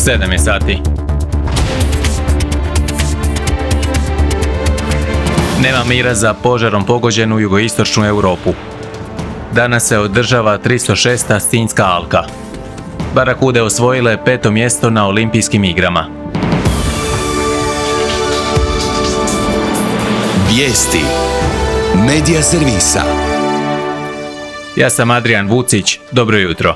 7 je sati. Nema mira za požarom pogođenu jugoistočnu Europu. Danas se održava 306. Sinjska alka. Barakude osvojile 5. mjesto na olimpijskim igrama. Vijesti Medija servisa. Ja sam Adrian Vucić, dobro jutro.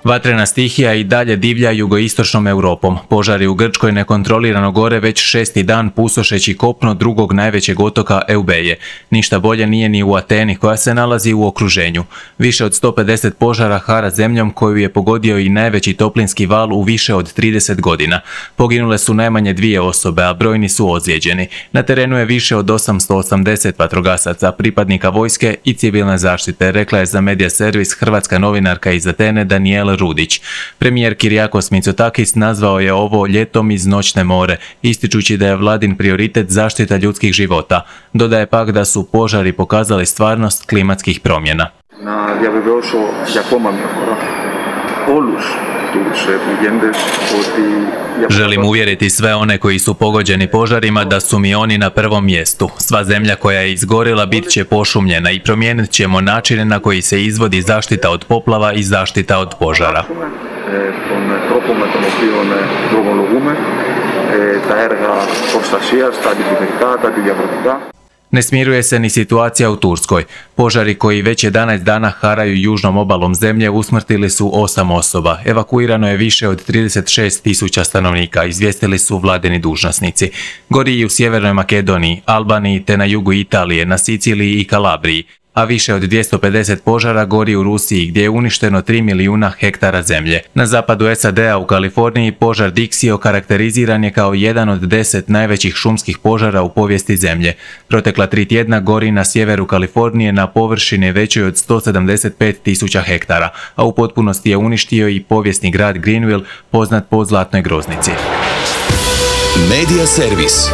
Vatrena stihija i dalje divlja jugoistočnom Europom. Požari u Grčkoj nekontrolirano gore već 6. dan pustošeći kopno drugog najvećeg otoka Eubeje. Ništa bolje nije ni u Ateni koja se nalazi u okruženju. Više od 150 požara hara zemljom koju je pogodio i najveći toplinski val u više od 30 godina. Poginule su najmanje 2 osobe, a brojni su ozlijeđeni. Na terenu je više od 880 vatrogasaca, pripadnika vojske i civilne zaštite, rekla je za Medija servis hrvatska novinarka iz Atene Danijela Rudić. Premijer Kyriakos Mitsotakis nazvao je ovo ljetom iz noćne more, ističući da je vladin prioritet zaštita ljudskih života. Dodaje pak da su požari pokazali stvarnost klimatskih promjena. Želim uvjeriti sve one koji su pogođeni požarima da su mi oni na prvom mjestu. Sva zemlja koja je izgorila bit će pošumljena i promijenit ćemo načine na koji se izvodi zaštita od poplava i zaštita od požara. Ne smiruje se ni situacija u Turskoj. Požari koji već 11 dana haraju južnom obalom zemlje usmrtili su 8 osoba. Evakuirano je više od 36.000 stanovnika, izvijestili su vladini dužnosnici. Gori i u Sjevernoj Makedoniji, Albaniji te na jugu Italije, na Siciliji i Kalabriji, a više od 250 požara gori u Rusiji gdje je uništeno 3 milijuna hektara zemlje. Na zapadu SAD-a u Kaliforniji požar Dixie okarakteriziran je kao jedan od 10 najvećih šumskih požara u povijesti zemlje. Protekla 3 tjedna gori na sjeveru Kalifornije na površini većoj od 175.000 hektara, a u potpunosti je uništio i povijesni grad Greenville, poznat po zlatnoj groznici. Medija servis.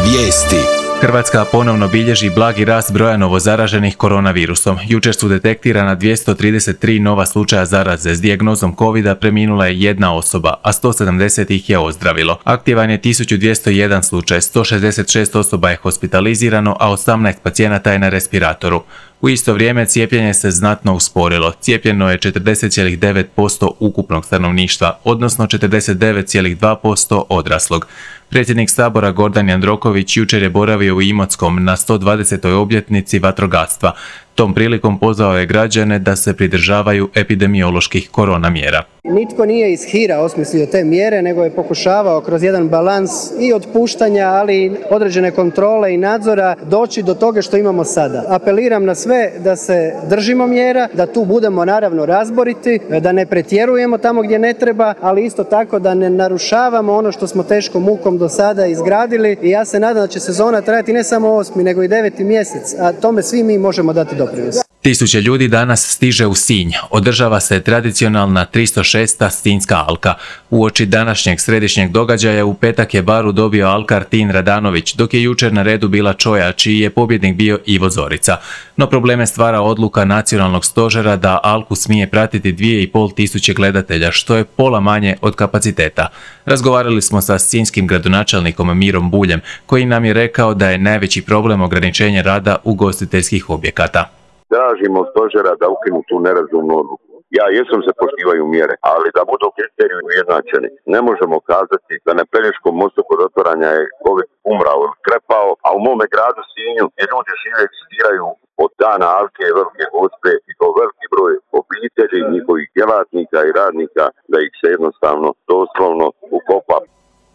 Vijesti. Hrvatska ponovno bilježi blagi rast broja novozaraženih koronavirusom. Jučer su detektirana 233 nova slučaja zaraze. S dijagnozom COVID-a preminula je 1 osoba, a 170 ih je ozdravilo. Aktivan je 1201 slučaj, 166 osoba je hospitalizirano, a 18 pacijenata je na respiratoru. U isto vrijeme cijepljenje se znatno usporilo. Cijepljeno je 40,9% ukupnog stanovništva, odnosno 49,2% odraslog. Predsjednik Sabora Gordan Jandroković jučer je boravio u Imotskom na 120. obljetnici vatrogastva. Tom prilikom pozvao je građane da se pridržavaju epidemioloških korona mjera. Nitko nije iz hira osmislio te mjere, nego je pokušavao kroz jedan balans i otpuštanja, ali i određene kontrole i nadzora doći do toga što imamo sada. Apeliram na sve da se držimo mjera, da tu budemo naravno razboriti, da ne pretjerujemo tamo gdje ne treba, ali isto tako da ne narušavamo ono što smo teškom mukom do sada izgradili. I ja se nadam da će sezona trajati ne samo 8. nego i 9. mjesec, a tome svi mi možemo dati doprinos. Tisuće ljudi danas stiže u Sinj. Održava se tradicionalna 306. Sinjska alka. Uoči današnjeg središnjeg događaja u petak je baru dobio alkar Tin Radanović, dok je jučer na redu bila Čoja, čiji je pobjednik bio Ivo Zorica. No probleme stvara odluka nacionalnog stožera da alku smije pratiti 2.500 gledatelja, što je pola manje od kapaciteta. Razgovarali smo sa sinjskim gradonačelnikom Mirom Buljem, koji nam je rekao da je najveći problem ograničenje rada ugostiteljskih objekata. Tražimo stožera da ukinu tu nerazumnu odluku. Ja jesam se poštivaju mjere, ali da budu kriteriji ujednačeni. Ne možemo kazati da na Pelješkom mostu kod otvaranja je COVID umrao ili krepao, a u mome gradu Sinju gdje ljudi žive egzistiraju od dana Alke i Velike Gospe i to veliki broj obitelji, njihovih djelatnika i radnika, da ih se jednostavno doslovno ukopa.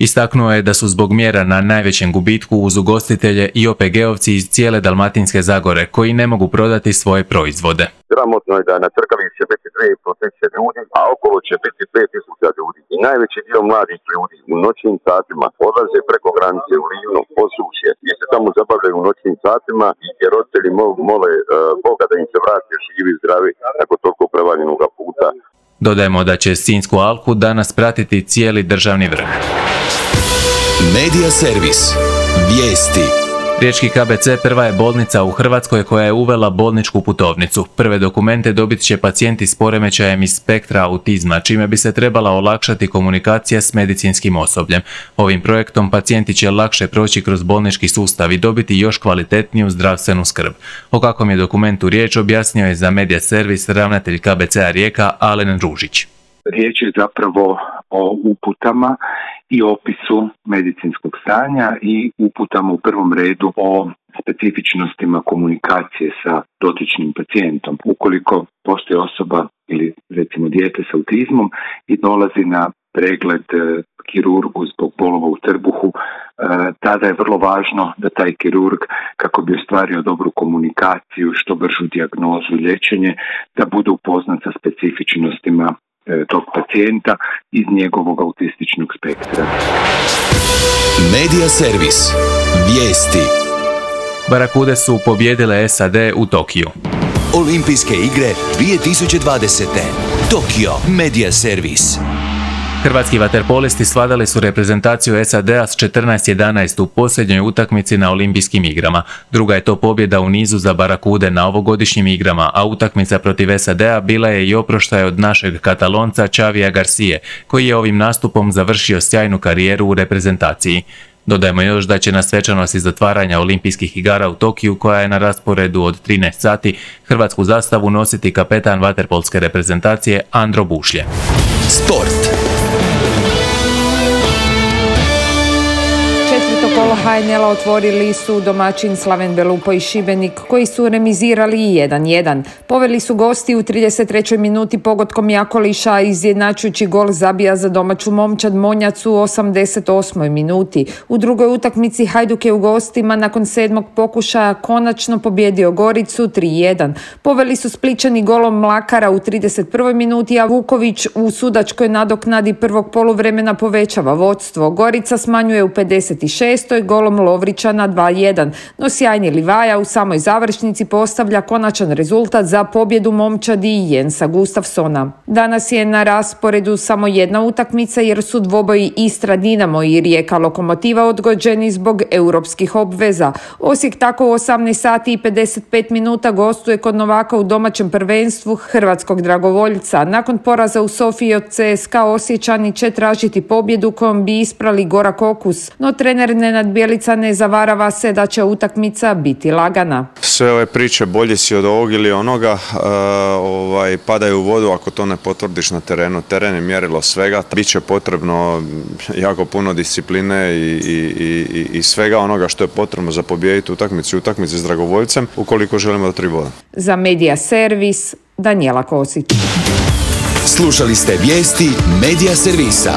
Istaknuo je da su zbog mjera na najvećem gubitku uz ugostitelje i OPG-ovci iz cijele Dalmatinske Zagore koji ne mogu prodati svoje proizvode. Sramotno je da na trkavi će biti 2.500 ljudi, a okolo će biti 5.000 ljudi. I najveći dio mladih ljudi u noćnim satima odlaze preko granice u Livno, Posušje, gdje se tamo zabavljaju u noćnim satima i gdje roditelji mole Boga da im se vrati živi i zdravi nakon toliko prevaljenog puta. Dodajemo da će Sinjsku alku danas pratiti cijeli državni vrh. Medija servis. Vijesti. Riječki KBC prva je bolnica u Hrvatskoj koja je uvela bolničku putovnicu. Prve dokumente dobit će pacijenti s poremećajem iz spektra autizma, čime bi se trebala olakšati komunikacija s medicinskim osobljem. Ovim projektom pacijenti će lakše proći kroz bolnički sustav i dobiti još kvalitetniju zdravstvenu skrb. O kakvom je dokumentu riječ objasnio je za Media Servis ravnatelj KBC-a Rijeka Alen Ružić. Riječ je zapravo o uputama i opisu medicinskog stanja i uputama u prvom redu o specifičnostima komunikacije sa dotičnim pacijentom. Ukoliko postoji osoba ili recimo dijete s autizmom i dolazi na pregled kirurgu zbog bolova u trbuhu, tada je vrlo važno da taj kirurg, kako bi ostvario dobru komunikaciju, što bržu dijagnozu i liječenje, da bude upoznat sa specifičnostima tog pacijenta iz njegovog autističnog spektra. Media Servis. Vijesti. Barakude su pobijedile SAD u Tokiju. Olimpijske igre 2020. Tokio. Media Servis. Hrvatski vaterpolisti svladali su reprezentaciju SAD-a s 14-11 u posljednjoj utakmici na Olimpijskim igrama. Druga je to pobjeda u nizu za Barakude na ovogodišnjim igrama, a utakmica protiv SAD-a bila je i oproštaj od našeg Katalonca Xavija Garcije, koji je ovim nastupom završio sjajnu karijeru u reprezentaciji. Dodajmo još da će na svečanosti zatvaranja Olimpijskih igara u Tokiju, koja je na rasporedu od 13 sati, hrvatsku zastavu nositi kapetan vaterpolske reprezentacije Andro Bušlje. Sport. Kolo HNL-a otvorili su domaćin Slaven Belupo i Šibenik, koji su remizirali 1-1. Poveli su gosti u 33. minuti pogodkom Jakoliša, a izjednačujući gol zabija za domaću momčad Monjac u 88. minuti. U drugoj utakmici Hajduk je u gostima nakon 7. pokušaja konačno pobjedio Goricu 3-1. Poveli su Splićani golom Mlakara u 31. minuti, a Vuković u sudačkoj nadoknadi prvog poluvremena povećava vodstvo. Gorica smanjuje u 56. golom Lovrića na 2-1, no sjajni Livaja u samoj završnici postavlja konačan rezultat za pobjedu momčadi i Jensa Gustafsona. Danas je na rasporedu samo jedna utakmica jer su dvoboji Istra Dinamo i Rijeka Lokomotiva odgođeni zbog europskih obveza. Osijek tako u 18 sati i 55 minuta gostuje kod novaka u domaćem prvenstvu hrvatskog dragovoljca. Nakon poraza u Sofiji od CSKA Osječani će tražiti pobjedu kojom bi isprali gorak okus, no trener Nenad Bjelica ne zavarava se da će utakmica biti lagana. Sve ove priče bolji si od ovog ili onoga padaju u vodu ako to ne potvrdiš na terenu. Teren je mjerilo svega. Biće potrebno jako puno discipline i svega onoga što je potrebno za pobijediti utakmici s dragovoljcem ukoliko želimo do 3 boda. Za Media Servis, Danijela Kosić. Slušali ste vijesti Media Servisa.